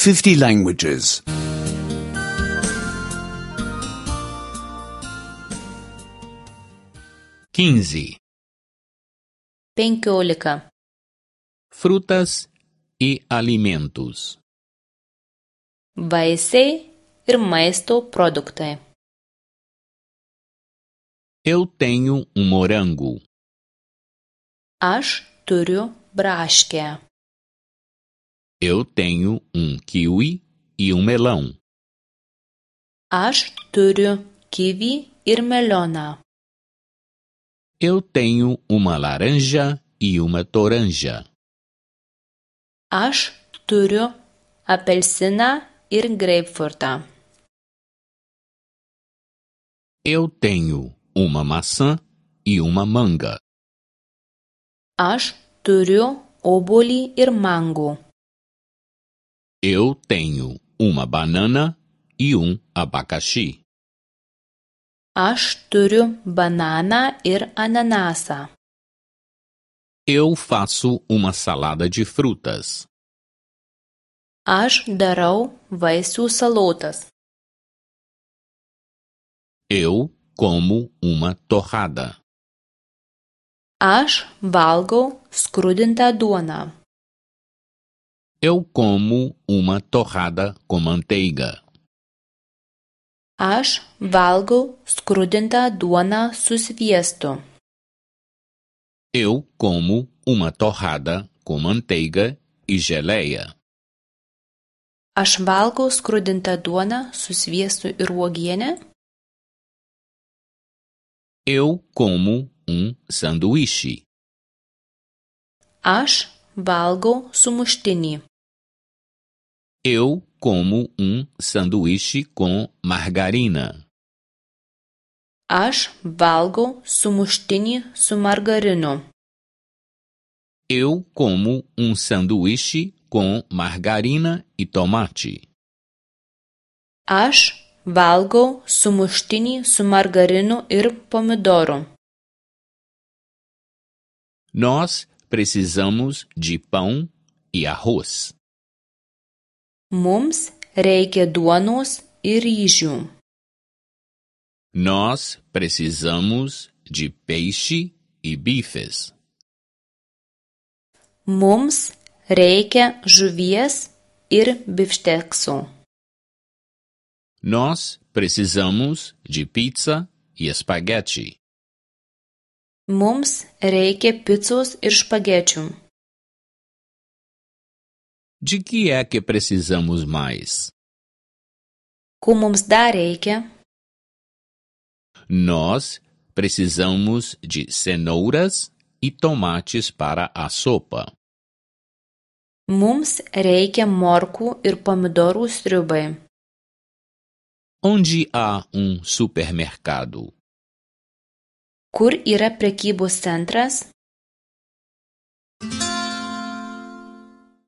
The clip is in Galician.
50 languages. 15. 15. Frutas e alimentos. Vaisiai ir maisto produktai. Eu tenho morango. Aš turiu braškę. Eu tenho kiwi e melão. Aš turiu kiwi ir melioną. Eu tenho uma laranja e uma toranja. Aš turiu apelsiną ir greipfrutą. Eu tenho uma maçã e uma manga. Aš turiu obuolį ir mangų. Eu tenho uma banana e abacaxi. Aš turiu bananą ir ananasą. Eu faço uma salada de frutas. Aš darau vaisių salotas. Eu como uma torrada. Aš valgau skrudintą duoną. Eu como uma torrada com manteiga. Aš valgau skrudintą duoną su sviestu. Eu como uma torrada com manteiga e geleia. Aš valgau skrudintą duoną su sviestu ir uogiene. Eu como sanduíche. Aš valgau sumuštinį. Eu como sanduíche com margarina. Aš valgau sumuštinį su margarinu. Eu como sanduíche com margarina e tomate. Aš valgau sumuštinį su margarinu ir pomidoru. Nós precisamos de pão e arroz. Mums reikia duonos ir ryžių. Nós precisamos de peixe e bifes. Mums reikia žuvies ir bifšteksų. Nós precisamos de pizza e espaguete. Mums reikia picos ir špagečių. De que é que precisamos mais? Ko mums dar reikia? Nós precisamos de cenouras e tomates para a sopa. Mums reikia morkų ir pomidorų sriubai. Onde há supermercado? Kur yra prekybos centras?